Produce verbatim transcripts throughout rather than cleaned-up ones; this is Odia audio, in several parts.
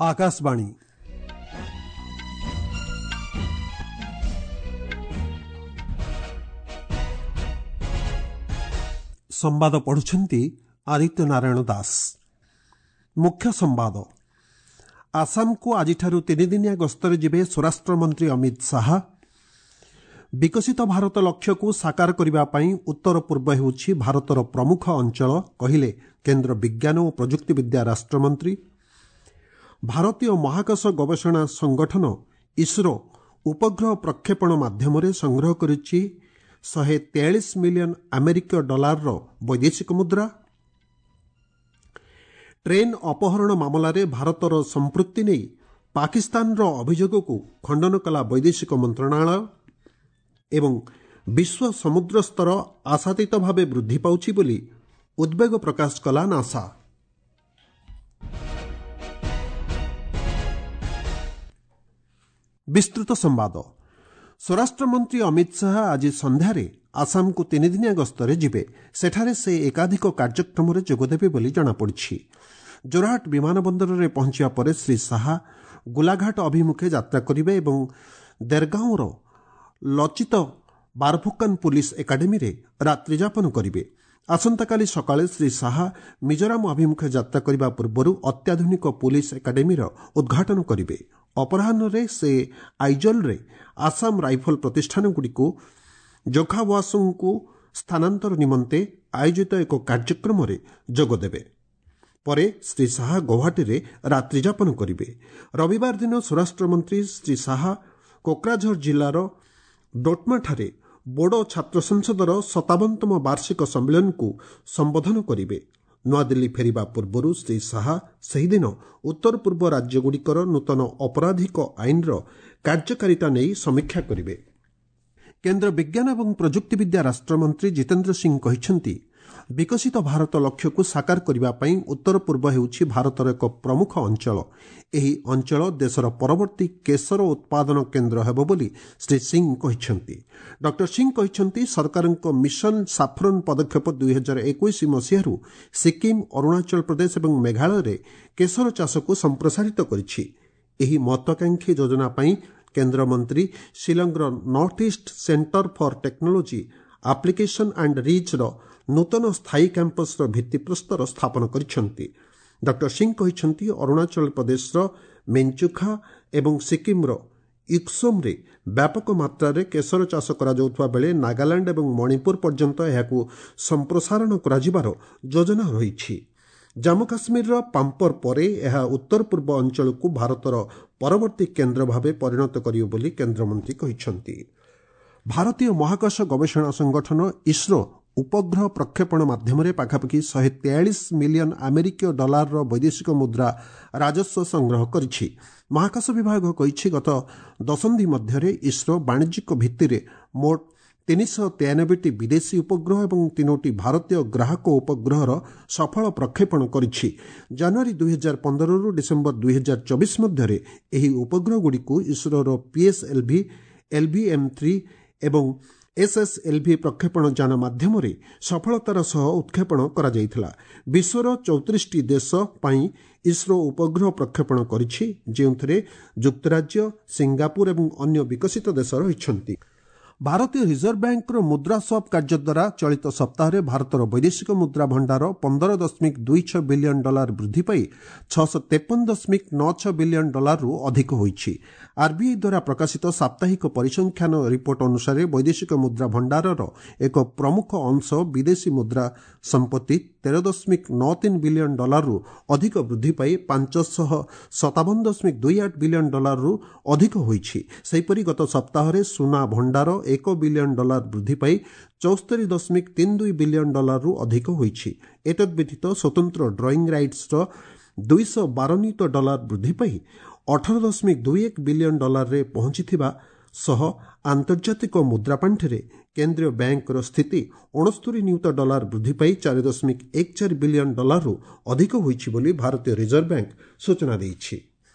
ଆକାଶବାଣୀ। ସମ୍ବାଦ ପଢୁଛନ୍ତି ଆଦିତ୍ୟ ନାରାୟଣ ଦାସ। ମୁଖ୍ୟ ସମ୍ବାଦ। ଆସାମକୁ ଆଜିଠାରୁ ତିନିଦିନିଆ ଗସ୍ତରେ ଯିବେ ସ୍ୱରାଷ୍ଟ୍ରମନ୍ତ୍ରୀ ଅମିତ ଶାହା। ବିକଶିତ ଭାରତ ଲକ୍ଷ୍ୟକୁ ସାକାର କରିବା ପାଇଁ ଉତ୍ତର ପୂର୍ବ ହେଉଛି ଭାରତର ପ୍ରମୁଖ ଅଞ୍ଚଳ, କହିଲେ କେନ୍ଦ୍ର ବିଜ୍ଞାନ ଓ ପ୍ରଯୁକ୍ତିବିଦ୍ୟା ରାଷ୍ଟ୍ରମନ୍ତ୍ରୀ। ଭାରତୀୟ ମହାକାଶ ଗବେଷଣା ସଂଗଠନ ଇସ୍ରୋ ଉପଗ୍ରହ ପ୍ରକ୍ଷେପଣ ମାଧ୍ୟମରେ ସଂଗ୍ରହ କରିଛି ଶହେ ତେୟାଳିଶ ମିଲିୟନ ଆମେରିକୀୟ ଡଲାରର ବୈଦେଶିକ ମୁଦ୍ରା। ଟ୍ରେନ୍ ଅପହରଣ ମାମଲାରେ ଭାରତର ସମ୍ପୃକ୍ତି ନେଇ ପାକିସ୍ତାନର ଅଭିଯୋଗକୁ ଖଣ୍ଡନ କଲା ବୈଦେଶିକ ମନ୍ତ୍ରଣାଳୟ। ଏବଂ ବିଶ୍ୱ ସମୁଦ୍ର ସ୍ତର ଆଶାତୀତ ଭାବେ ବୃଦ୍ଧି ପାଉଛି ବୋଲି ଉଦ୍ବେଗ ପ୍ରକାଶ କଲା ନାସା। ବିସ୍ତୃତ ସମ୍ବାଦ। ସ୍ୱରାଷ୍ଟ୍ରମନ୍ତ୍ରୀ ଅମିତ ଶାହା ଆଜି ସନ୍ଧ୍ୟାରେ ଆସାମକୁ ତିନିଦିନିଆ ଗସ୍ତରେ ଯିବେ। ସେଠାରେ ସେ ଏକାଧିକ କାର୍ଯ୍ୟକ୍ରମରେ ଯୋଗଦେବେ ବୋଲି ଜଣାପଡ଼ିଛି। ଜୋରହାଟ ବିମାନ ବନ୍ଦରରେ ପହଞ୍ଚିବା ପରେ ଶ୍ରୀ ଶାହା ଗୋଲାଘାଟ ଅଭିମୁଖେ ଯାତ୍ରା କରିବେ ଏବଂ ଦେରଗାଁର ଲଚିତ ବାରଫୁକାନ ପୁଲିସ ଏକାଡେମୀରେ ରାତ୍ରିଯାପନ କରିବେ। ଆସନ୍ତାକାଲି ସକାଳେ ଶ୍ରୀ ଶାହା ମିଜୋରାମ ଅଭିମୁଖେ ଯାତ୍ରା କରିବା ପୂର୍ବରୁ ଅତ୍ୟାଧୁନିକ ପୁଲିସ ଏକାଡେମୀର ଉଦ୍ଘାଟନ କରିବେ। ଅପରାହ୍ନରେ ସେ ଆଇଜଲ୍ରେ ଆସାମ ରାଇଫଲ ପ୍ରତିଷ୍ଠାନଗୁଡ଼ିକୁ ଜୋଖାୱାସୁଙ୍କୁ ସ୍ଥାନାନ୍ତର ନିମନ୍ତେ ଆୟୋଜିତ ଏକ କାର୍ଯ୍ୟକ୍ରମରେ ଯୋଗଦେବେ। ପରେ ଶ୍ରୀ ଶାହା ଗୌହାଟୀରେ ରାତ୍ରିଯାପନ କରିବେ। ରବିବାର ଦିନ ସ୍ୱରାଷ୍ଟ୍ରମନ୍ତ୍ରୀ ଶ୍ରୀ ଶାହା କୋକ୍ରାଝର ଜିଲ୍ଲାର ଡୋଟମାଠାରେ ବୋଡୋ ଛାତ୍ର ସଂସଦର ସତାବନତମ ବାର୍ଷିକ ସମ୍ମିଳନୀକୁ ସମ୍ବୋଧନ କରିବେ। ନୂଆଦିଲ୍ଲୀ ଫେରିବା ପୂର୍ବରୁ ଶ୍ରୀ ଶାହା ସେହିଦିନ ଉତ୍ତର ପୂର୍ବ ରାଜ୍ୟଗୁଡ଼ିକର ନୂତନ ଅପରାଧିକ ଆଇନର କାର୍ଯ୍ୟକାରିତା ନେଇ ସମୀକ୍ଷା କରିବେ। କେନ୍ଦ୍ର ବିଜ୍ଞାନ ଏବଂ ପ୍ରଯୁକ୍ତିବିଦ୍ୟା ରାଷ୍ଟ୍ରମନ୍ତ୍ରୀ ଜିତେନ୍ଦ୍ର ସିଂ କହିଛନ୍ତି, ବିକଶିତ ଭାରତ ଲକ୍ଷ୍ୟକୁ ସାକାର କରିବା ପାଇଁ ଉତ୍ତର ପୂର୍ବ ହେଉଛି ଭାରତର ଏକ ପ୍ରମୁଖ ଅଞ୍ଚଳ। ଏହି ଅଞ୍ଚଳ ଦେଶର ପରବର୍ତ୍ତୀ କେଶର ଉତ୍ପାଦନ କେନ୍ଦ୍ର ହେବ ବୋଲି ଶ୍ରୀ ସିଂ କହିଛନ୍ତି। ଡକ୍ଟର ସିଂ କହିଛନ୍ତି, ସରକାରଙ୍କ ମିଶନ ସାଫ୍ରନ୍ ପଦକ୍ଷେପ ଦୁଇ ହଜାର ଏକୋଇଶ ମସିହାରୁ ସିକିମ୍, ଅରୁଣାଚଳ ପ୍ରଦେଶ ଏବଂ ମେଘାଳୟରେ କେଶର ଚାଷକୁ ସମ୍ପ୍ରସାରିତ କରିଛି। ଏହି ମହତ୍ୱାକାଂକ୍ଷୀ ଯୋଜନା ପାଇଁ କେନ୍ଦ୍ରମନ୍ତ୍ରୀ ଶିଲଂର North East Centre for Technology Application and ରିଚ୍ର ନୂତନ ସ୍ଥାୟୀ କ୍ୟାମ୍ପସର ଭିତ୍ତିପ୍ରସ୍ତର ସ୍ଥାପନ କରିଛନ୍ତି। ଡକ୍ଟର ସିଂ କହିଛନ୍ତି, ଅରୁଣାଚଳ ପ୍ରଦେଶର ମେଞ୍ଚୁଖା ଏବଂ ସିକିମ୍ର ୟୁକ୍ସୋମ୍ରେ ବ୍ୟାପକ ମାତ୍ରାରେ କେଶର ଚାଷ କରାଯାଉଥିବା ବେଳେ ନାଗାଲାଣ୍ଡ ଏବଂ ମଣିପୁର ପର୍ଯ୍ୟନ୍ତ ଏହାକୁ ସମ୍ପ୍ରସାରଣ କରାଯିବାର ଯୋଜନା ରହିଛି। ଜାମ୍ମୁ କାଶ୍ମୀରର ପାମ୍ପର ପରେ ଏହା ଉତ୍ତର ପୂର୍ବ ଅଞ୍ଚଳକୁ ଭାରତର ପରବର୍ତ୍ତୀ କେନ୍ଦ୍ର ଭାବେ ପରିଣତ କରିବ ବୋଲି କେନ୍ଦ୍ରମନ୍ତ୍ରୀ କହିଛନ୍ତି। ଭାରତୀୟ ମହାକାଶ ଗବେଷଣା ସଂଗଠନ ଇସ୍ରୋ ଉପଗ୍ରହ ପ୍ରକ୍ଷେପଣ ମାଧ୍ୟମରେ ପାଖାପାଖି ଶହେ ତେୟାଳିଶ ମିଲିୟନ ଆମେରିକୀୟ ଡଲାରର ବୈଦେଶିକ ମୁଦ୍ରା ରାଜସ୍ୱ ସଂଗ୍ରହ କରିଛି। ମହାକାଶ ବିଭାଗ କହିଛି, ଗତ ଦଶନ୍ଧି ମଧ୍ୟରେ ଇସ୍ରୋ ବାଣିଜ୍ୟିକ ଭିତ୍ତିରେ ମୋଟ ତିନିଶହ ତେୟାନବେଟି ବିଦେଶୀ ଉପଗ୍ରହ ଏବଂ ତିନୋଟି ଭାରତୀୟ ଗ୍ରାହକ ଉପଗ୍ରହର ସଫଳ ପ୍ରକ୍ଷେପଣ କରିଛି। ଜାନୁଆରୀ ଦୁଇ ହଜାର ପନ୍ଦରରୁ ଡିସେମ୍ବର ଦୁଇ ହଜାର ଚବିଶ ମଧ୍ୟରେ ଏହି ଉପଗ୍ରହଗୁଡ଼ିକୁ ଇସ୍ରୋର ପିଏସ୍ଏଲ୍ଭି, ଏଲ୍ଭିଏମ୍ ଥ୍ରୀ ଏବଂ ଏସ୍ଏସ୍ଏଲ୍ଭି ପ୍ରକ୍ଷେପଣ ଯାନ ମାଧ୍ୟମରେ ସଫଳତାର ସହ ଉତ୍କ୍ଷେପଣ କରାଯାଇଥିଲା। ବିଶ୍ୱର ଚଉତିରିଶଟି ଦେଶ ପାଇଁ ଇସ୍ରୋ ଉପଗ୍ରହ ପ୍ରକ୍ଷେପଣ କରିଛି, ଯେଉଁଥିରେ ଯୁକ୍ତରାଜ୍ୟ, ସିଙ୍ଗାପୁର ଏବଂ ଅନ୍ୟ ବିକଶିତ ଦେଶ ରହିଛନ୍ତି। ଭାରତୀୟ ରିଜର୍ଭ ବ୍ୟାଙ୍କର ମୁଦ୍ରା ସ୍ୱାପ୍ କାର୍ଯ୍ୟ ଦ୍ୱାରା ଚଳିତ ସପ୍ତାହରେ ଭାରତର ବୈଦେଶିକ ମୁଦ୍ରା ଭଣ୍ଡାର ପନ୍ଦର ଦଶମିକ ଦୁଇ ଛଅ ବିଲିୟନ ଡଲାର ବୃଦ୍ଧି ପାଇ ଛଅଶହ ତେପନ ଦଶମିକ ନଅ ଛଅ ବିଲିୟନ ଡଲାରରୁ ଅଧିକ ହୋଇଛି। ଆର୍ବିଆଇ ଦ୍ୱାରା ପ୍ରକାଶିତ ସାପ୍ତାହିକ ପରିସଂଖ୍ୟାନ ରିପୋର୍ଟ ଅନୁସାରେ ବୈଦେଶିକ ମୁଦ୍ରା ଭଣ୍ଡାରର ଏକ ପ୍ରମୁଖ ଅଂଶ ବିଦେଶୀ ମୁଦ୍ରା ସମ୍ପତ୍ତି ତେର ଦଶମିକ ନଅ ତିନି ବିଲିୟନ ଡଲାରରୁ ଅଧିକ ବୃଦ୍ଧି ପାଇ ପାଞ୍ଚଶହ ସତାବନ ଦଶମିକ ଦୁଇ ଆଠ ବିଲିୟନ ଡଲାରରୁ ଅଧିକ ହୋଇଛି। ସେହିପରି ଗତ ସପ୍ତାହରେ ସୁନା ଭଣ୍ଡାର ଏକ ବିଲିୟନ ଡଲାର ବୃଦ୍ଧି ପାଇ ଚଉସ୍ତରୀ ଦଶମିକ ତିନି ଦୁଇ ବିଲିୟନ ଡଲାରରୁ ଅଧିକ ହୋଇଛି। ଏତଦ୍ବ୍ୟତୀତ ସ୍ୱତନ୍ତ୍ର ଡ୍ରଇଂ ରାଇଟ୍ସର ଦୁଇଶହ ବାର ନିୟୁତ ଡଲାର ବୃଦ୍ଧି ପାଇ ଅଠର ଦଶମିକ ଦୁଇ ଏକ ବିଲିୟନ ଡଲାରରେ ପହଞ୍ଚିଥିବା ସହ ଆନ୍ତର୍ଜାତିକ ମୁଦ୍ରା ପାଣ୍ଠିରେ କେନ୍ଦ୍ରୀୟ ବ୍ୟାଙ୍କର ସ୍ଥିତି ଅଣସ୍ତରୀ ନିୟୁତ ଡଲାର ବୃଦ୍ଧି ପାଇ ଚାରି ଦଶମିକ ଏକ ଚାରି ବିଲିୟନ ଡଲାରରୁ ଅଧିକ ହୋଇଛି ବୋଲି ଭାରତୀୟ ରିଜର୍ଭ ବ୍ୟାଙ୍କ ସୂଚନା ଦେଇଛି।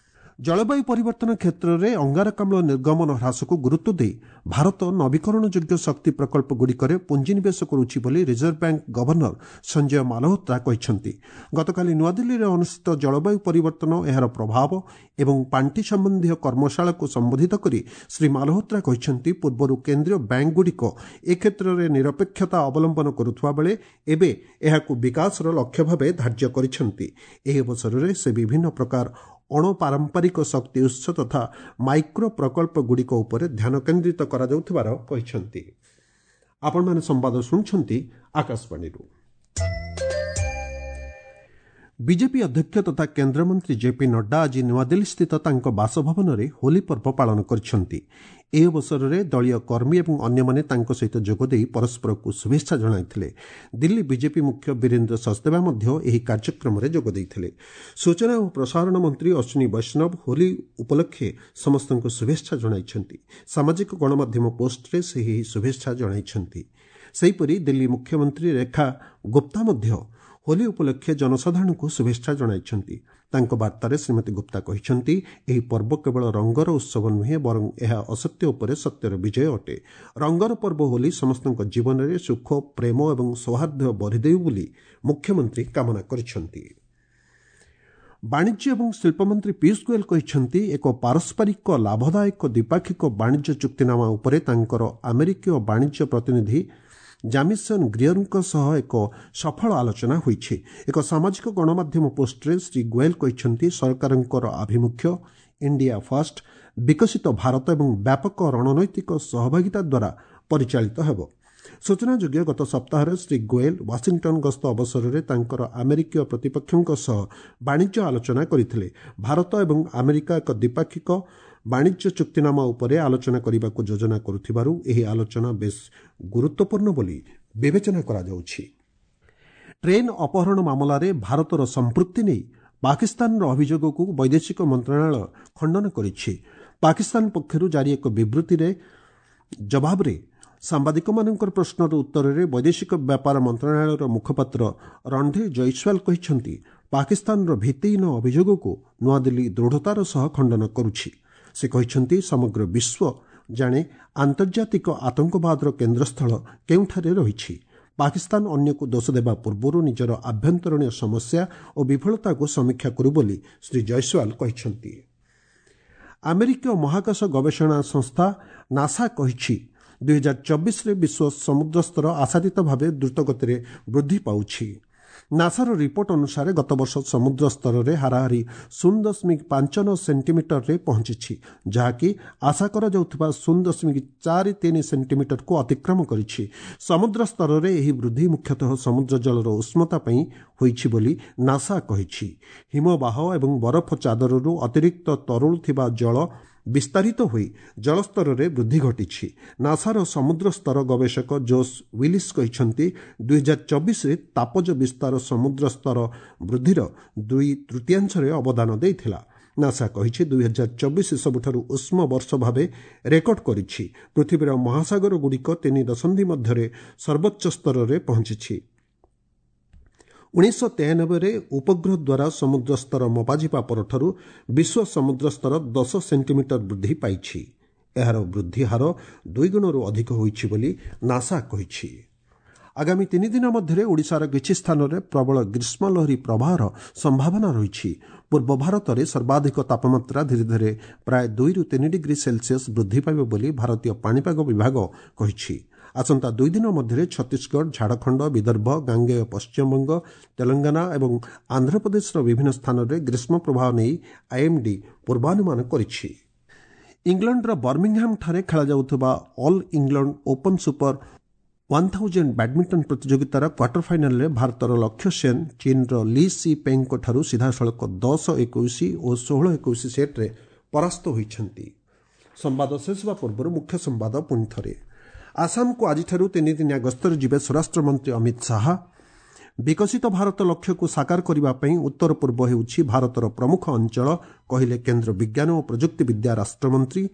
ଜଳବାୟୁ ପରିବର୍ତ୍ତନ କ୍ଷେତ୍ରରେ ଅଙ୍ଗାରକାମ୍ଳ ନିର୍ଗମନ ହ୍ରାସକୁ ଗୁରୁତ୍ୱ ଦେଇ ଭାରତ ନବୀକରଣଯୋଗ୍ୟ ଶକ୍ତି ପ୍ରକଳ୍ପଗୁଡ଼ିକରେ ପୁଞ୍ଜିନିବେଶ କରୁଛି ବୋଲି reserve bank governor Sanjay Malhotra କହିଛନ୍ତି। ଗତକାଲି ନୂଆଦିଲ୍ଲୀରେ ଅନୁଷ୍ଠିତ ଜଳବାୟୁ ପରିବର୍ତ୍ତନ, ଏହାର ପ୍ରଭାବ ଏବଂ ପାଣ୍ଠି ସମ୍ବନ୍ଧୀୟ କର୍ମଶାଳାକୁ ସମ୍ବୋଧିତ କରି ଶ୍ରୀ ମାଲହୋତ୍ରା କହିଛନ୍ତି, ପୂର୍ବରୁ କେନ୍ଦ୍ରୀୟ ବ୍ୟାଙ୍କଗୁଡ଼ିକ ଏ କ୍ଷେତ୍ରରେ ନିରପେକ୍ଷତା ଅବଲମ୍ବନ କରୁଥିବା ବେଳେ ଏବେ ଏହାକୁ ବିକାଶର ଲକ୍ଷ୍ୟ ଭାବେ ଧାର୍ଯ୍ୟ କରିଛନ୍ତି। ଏହି ଅବସରରେ ସେ ବିଭିନ୍ନ ପ୍ରକାର ଅଣପାରମ୍ପରିକ ଶକ୍ତି ଉତ୍ସ ତଥା ମାଇକ୍ରୋ ପ୍ରକଳ୍ପଗୁଡ଼ିକ ଉପରେ ଧ୍ୟାନ କେନ୍ଦ୍ରିତ କରାଯାଉଥିବାର କହିଛନ୍ତି। ଆପଣମାନେ ସମ୍ବାଦ ଶୁଣୁଛନ୍ତି ଆକାଶବାଣୀରୁ। ବିଜେପି ଅଧ୍ୟକ୍ଷ ତଥା କେନ୍ଦ୍ରମନ୍ତ୍ରୀ ଜେପି ନଡ୍ଡା ଆଜି ନୂଆଦିଲ୍ଲୀସ୍ଥିତ ତାଙ୍କ ବାସଭବନରେ ହୋଲି ପର୍ବ ପାଳନ କରିଛନ୍ତି। ଏହି ଅବସରରେ ଦଳୀୟ କର୍ମୀ ଏବଂ ଅନ୍ୟମାନେ ତାଙ୍କ ସହିତ ଯୋଗଦେଇ ପରସ୍ପରକୁ ଶୁଭେଚ୍ଛା ଜଣାଇଥିଲେ। ଦିଲ୍ଲୀ ବିଜେପି ମୁଖ୍ୟ ବୀରେନ୍ଦ୍ର ସଚଦେବା ମଧ୍ୟ ଏହି କାର୍ଯ୍ୟକ୍ରମରେ ଯୋଗ ଦେଇଥିଲେ। ସୂଚନା ଓ ପ୍ରସାରଣ ମନ୍ତ୍ରୀ ଅଶ୍ୱିନୀ ବୈଷ୍ଣବ ହୋଲି ଉପଲକ୍ଷେ ସମସ୍ତଙ୍କୁ ଶୁଭେଚ୍ଛା ଜଣାଇଛନ୍ତି। ସାମାଜିକ ଗଣମାଧ୍ୟମ ପୋଷ୍ଟରେ ସେ ଏହି ଶୁଭେଚ୍ଛା ଜଣାଇଛନ୍ତି। ସେହିପରି ଦିଲ୍ଲୀ ମୁଖ୍ୟମନ୍ତ୍ରୀ ରେଖା ଗୁପ୍ତା ମଧ୍ୟ ହୋଲି ଉପଲକ୍ଷେ ଜନସାଧାରଣଙ୍କୁ ଶୁଭେଚ୍ଛା ଜଣାଇଛନ୍ତି। ତାଙ୍କ ବାର୍ତ୍ତାରେ ଶ୍ରୀମତୀ ଗୁପ୍ତା କହିଛନ୍ତି, ଏହି ପର୍ବ କେବଳ ରଙ୍ଗର ଉତ୍ସବ ନୁହେଁ, ବରଂ ଏହା ଅସତ୍ୟ ଉପରେ ସତ୍ୟର ବିଜୟ ଅଟେ। ରଙ୍ଗର ପର୍ବ ହୋଲି ସମସ୍ତଙ୍କ ଜୀବନରେ ସୁଖ, ପ୍ରେମ ଏବଂ ସୌହାର୍ଦ୍ଦ୍ୟ ବଢ଼ିଦେଉ ବୋଲି ମୁଖ୍ୟମନ୍ତ୍ରୀ କାମନା କରିଛନ୍ତି। ବାଣିଜ୍ୟ ଏବଂ ଶିଳ୍ପମନ୍ତ୍ରୀ ପୀୟୁଷ ଗୋଏଲ କହିଛନ୍ତି, ଏକ ପାରସ୍ପରିକ ଲାଭଦାୟକ ଦ୍ୱିପାକ୍ଷିକ ବାଣିଜ୍ୟ ଚୁକ୍ତିନାମା ଉପରେ ତାଙ୍କର ଆମେରିକୀୟ ବାଣିଜ୍ୟ ପ୍ରତିନିଧି ଜାମିସନ୍ ଗ୍ରିୟରଙ୍କ ସହ ଏକ ସଫଳ ଆଲୋଚନା ହୋଇଛି। ଏକ ସାମାଜିକ ଗଣମାଧ୍ୟମ ପୋଷ୍ଟରେ ଶ୍ରୀ ଗୋଏଲ କହିଛନ୍ତି, ସରକାରଙ୍କର ଆଭିମୁଖ୍ୟ ଇଣ୍ଡିଆ ଫାଷ୍ଟ, ବିକଶିତ ଭାରତ ଏବଂ ବ୍ୟାପକ ରଣନୈତିକ ସହଭାଗିତା ଦ୍ୱାରା ପରିଚାଳିତ ହେବ। ସୂଚନାଯୋଗ୍ୟ, ଗତ ସପ୍ତାହରେ ଶ୍ରୀ ଗୋଏଲ ୱାଶିଂଟନ ଗସ୍ତ ଅବସରରେ ତାଙ୍କର ଆମେରିକୀୟ ପ୍ରତିପକ୍ଷଙ୍କ ସହ ବାଣିଜ୍ୟ ଆଲୋଚନା କରିଥିଲେ। ଭାରତ ଏବଂ ଆମେରିକା ଏକ ଦ୍ୱିପାକ୍ଷିକ ବାଣିଜ୍ୟ ଚୁକ୍ତିନାମା ଉପରେ ଆଲୋଚନା କରିବାକୁ ଯୋଜନା କରୁଥିବାରୁ ଏହି ଆଲୋଚନା ବେଶ୍ ଗୁରୁତ୍ୱପୂର୍ଣ୍ଣ ବୋଲି ବିବେଚନା କରାଯାଉଛି। ଟ୍ରେନ୍ ଅପହରଣ ମାମଲାରେ ଭାରତର ସମ୍ପୃକ୍ତି ନେଇ ପାକିସ୍ତାନର ଅଭିଯୋଗକୁ ବୈଦେଶିକ ମନ୍ତ୍ରଣାଳୟ ଖଣ୍ଡନ କରିଛି। ପାକିସ୍ତାନ ପକ୍ଷରୁ ଜାରି ଏକ ବିବୃତ୍ତିରେ ଜବାବରେ ସାମ୍ବାଦିକମାନଙ୍କର ପ୍ରଶ୍ନର ଉତ୍ତରରେ ବୈଦେଶିକ ବ୍ୟାପାର ମନ୍ତ୍ରଣାଳୟର ମୁଖପାତ୍ର ରଣଧୀର ଜୟସ୍ୱାଲ କହିଛନ୍ତି, ପାକିସ୍ତାନର ଭିତ୍ତିହୀନ ଅଭିଯୋଗକୁ ନୂଆଦିଲ୍ଲୀ ଦୃଢ଼ତାର ସହ ଖଣ୍ଡନ କରୁଛି। ସେ କହିଛନ୍ତି, ସମଗ୍ର ବିଶ୍ୱ ଜାଣେ ଆନ୍ତର୍ଜାତିକ ଆତଙ୍କବାଦର କେନ୍ଦ୍ରସ୍ଥଳ କେଉଁଠାରେ ରହିଛି। ପାକିସ୍ତାନ ଅନ୍ୟକୁ ଦୋଷ ଦେବା ପୂର୍ବରୁ ନିଜର ଆଭ୍ୟନ୍ତରୀଣ ସମସ୍ୟା ଓ ବିଫଳତାକୁ ସମୀକ୍ଷା କରୁ ବୋଲି ଶ୍ରୀ ଜୟସ୍ୱାଲ କହିଛନ୍ତି। ଆମେରିକୀୟ ମହାକାଶ ଗବେଷଣା ସଂସ୍ଥା ନାସା କହିଛି, ଦୁଇହଜାର ଚବିଶରେ ବିଶ୍ୱ ସମୁଦ୍ର ସ୍ତର ଆଶାତୀତ ଭାବେ ଦ୍ରୁତଗତିରେ ବୃଦ୍ଧି ପାଉଛି। ନାସାର ରିପୋର୍ଟ ଅନୁସାରେ ଗତବର୍ଷ ସମୁଦ୍ର ସ୍ତରରେ ହାରାହାରି ଶୂନ ଦଶମିକ ପାଞ୍ଚ ନଅ ସେଣ୍ଟିମିଟରରେ ପହଞ୍ଚିଛି, ଯାହାକି ଆଶା କରାଯାଉଥିବା ଶୂନ ଦଶମିକ ଚାରି ତିନି ସେଣ୍ଟିମିଟରକୁ ଅତିକ୍ରମ କରିଛି। ସମୁଦ୍ର ସ୍ତରରେ ଏହି ବୃଦ୍ଧି ମୁଖ୍ୟତଃ ସମୁଦ୍ର ଜଳର ଉଷ୍ମତା ପାଇଁ ହୋଇଛି ବୋଲି ନାସା କହିଛି। ହିମବାହ ଏବଂ ବରଫ ଚାଦରରୁ ଅତିରିକ୍ତ ତରଳୁଥିବା ଜଳ ବିସ୍ତାରିତ ହୋଇ ଜଳସ୍ତରରେ ବୃଦ୍ଧି ଘଟିଛି। ନାସାର ସମୁଦ୍ର ସ୍ତର ଗବେଷକ ଜୋସ୍ ୱିଲିସ୍ କହିଛନ୍ତି, ଦୁଇହଜାର ଚବିଶରେ ତାପଜ ବିସ୍ତାର ସମୁଦ୍ର ସ୍ତର ବୃଦ୍ଧିର ଦୁଇ ତୃତୀୟାଂଶରେ ଅବଦାନ ଦେଇଥିଲା। ନାସା କହିଛି, ଦୁଇହଜାର ଚବିଶ ସବୁଠାରୁ ଉଷ୍ମ ବର୍ଷ ଭାବେ ରେକର୍ଡ କରିଛି। ପୃଥିବୀର ମହାସାଗରଗୁଡ଼ିକ ତିନି ଦଶନ୍ଧି ମଧ୍ୟରେ ସର୍ବୋଚ୍ଚ ସ୍ତରରେ ପହଞ୍ଚିଛି। ଉଣେଇଶହ ତେୟାନବେରେ ଉପଗ୍ରହ ଦ୍ୱାରା ସମୁଦ୍ର ସ୍ତର ମପାଯିବା ପରଠାରୁ ବିଶ୍ୱ ସମୁଦ୍ର ସ୍ତର ଦଶ ସେଣ୍ଟିମିଟର ବୃଦ୍ଧି ପାଇଛି। ଏହାର ବୃଦ୍ଧି ହାର ଦୁଇଗୁଣରୁ ଅଧିକ ହୋଇଛି ବୋଲି ନାସା କହିଛି। ଆଗାମୀ ତିନି ଦିନ ମଧ୍ୟରେ ଓଡ଼ିଶାର କିଛି ସ୍ଥାନରେ ପ୍ରବଳ ଗ୍ରୀଷ୍ମଲହରୀ ପ୍ରବାହର ସମ୍ଭାବନା ରହିଛି। ପୂର୍ବ ଭାରତରେ ସର୍ବାଧିକ ତାପମାତ୍ରା ଧୀରେ ଧୀରେ ପ୍ରାୟ ଦୁଇରୁ ତିନି ଡିଗ୍ରୀ ସେଲସିୟସ୍ ବୃଦ୍ଧି ପାଇବ ବୋଲି ଭାରତୀୟ ପାଣିପାଗ ବିଭାଗ କହିଛି। ଆସନ୍ତା ଦୁଇ ଦିନ ମଧ୍ୟରେ ଛତିଶଗଡ଼, ଝାଡ଼ଖଣ୍ଡ, ବିଦର୍ଭ, ଗାଙ୍ଗେୟ ପଶ୍ଚିମବଙ୍ଗ, ତେଲଙ୍ଗାନା ଏବଂ ଆନ୍ଧ୍ରପ୍ରଦେଶର ବିଭିନ୍ନ ସ୍ଥାନରେ ଗ୍ରୀଷ୍ମ ପ୍ରବାହ ନେଇ ଆଇଏମ୍ଡି ପୂର୍ବାନୁମାନ କରିଛି। ଇଂଲଣ୍ଡର ବର୍ମିଂହାମ୍ଠାରେ ଖେଳାଯାଉଥିବା All England Open Super one thousand badminton ପ୍ରତିଯୋଗିତାର କ୍ୱାର୍ଟର ଫାଇନାଲରେ ଭାରତର ଲକ୍ଷ୍ୟ ସେନ୍ ଚୀନ୍ର ଲି ସି ପେଙ୍ଗଙ୍କଠାରୁ ସିଧାସଳଖ ଦଶ ଏକୋଇଶ ଓ ଷୋହଳ ଏକୋଇଶ ସେଟ୍ରେ ପରାସ୍ତ ହୋଇଛନ୍ତି। ସମ୍ବାଦ ଶେଷ ହେବା ପୂର୍ବରୁ ମୁଖ୍ୟ ସମ୍ବାଦ ପୁଣି ଥରେ। ଆସାମକୁ ଆଜିଠାରୁ ତିନିଦିନିଆ ଗସ୍ତରେ ଯିବେ ସ୍ୱରାଷ୍ଟ୍ରମନ୍ତ୍ରୀ ଅମିତ ଶାହା। ବିକଶିତ ଭାରତ ଲକ୍ଷ୍ୟକୁ ସାକାର କରିବା ପାଇଁ ଉତ୍ତର ପୂର୍ବ ହେଉଛି ଭାରତର ପ୍ରମୁଖ ଅଞ୍ଚଳ, କହିଲେ କେନ୍ଦ୍ର ବିଜ୍ଞାନ ଓ ପ୍ରଯୁକ୍ତିବିଦ୍ୟା ରାଷ୍ଟ୍ରମନ୍ତ୍ରୀ।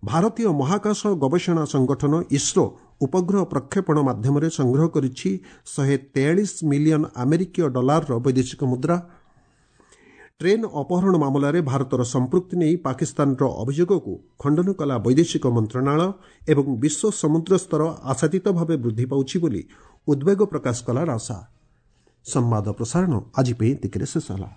ଭାରତୀୟ ମହାକାଶ ଗବେଷଣା ସଂଗଠନ ଇସ୍ରୋ ଉପଗ୍ରହ ପ୍ରକ୍ଷେପଣ ମାଧ୍ୟମରେ ସଂଗ୍ରହ କରିଛି ଶହେ ତେୟାଳିଶ ମିଲିୟନ ଆମେରିକୀୟ ଡଲାରର ବୈଦେଶିକ ମୁଦ୍ରା। ଟ୍ରେନ୍ ଅପହରଣ ମାମଲାରେ ଭାରତର ସମ୍ପୃକ୍ତି ନେଇ ପାକିସ୍ତାନର ଅଭିଯୋଗକୁ ଖଣ୍ଡନ କଲା ବୈଦେଶିକ ମନ୍ତ୍ରଣାଳୟ ଏବଂ ବିଶ୍ୱ ସମୁଦ୍ର ସ୍ତର ଆଶାତୀତ ଭାବେ ବୃଦ୍ଧି ପାଉଛି ବୋଲି ଉଦ୍ବେଗ ପ୍ରକାଶ କଲା ନାସା। ସମ୍ବାଦ ପ୍ରସାରଣ ଆଜି ପାଇଁ ଏତିକିରେ ଶେଷ ହେଲା।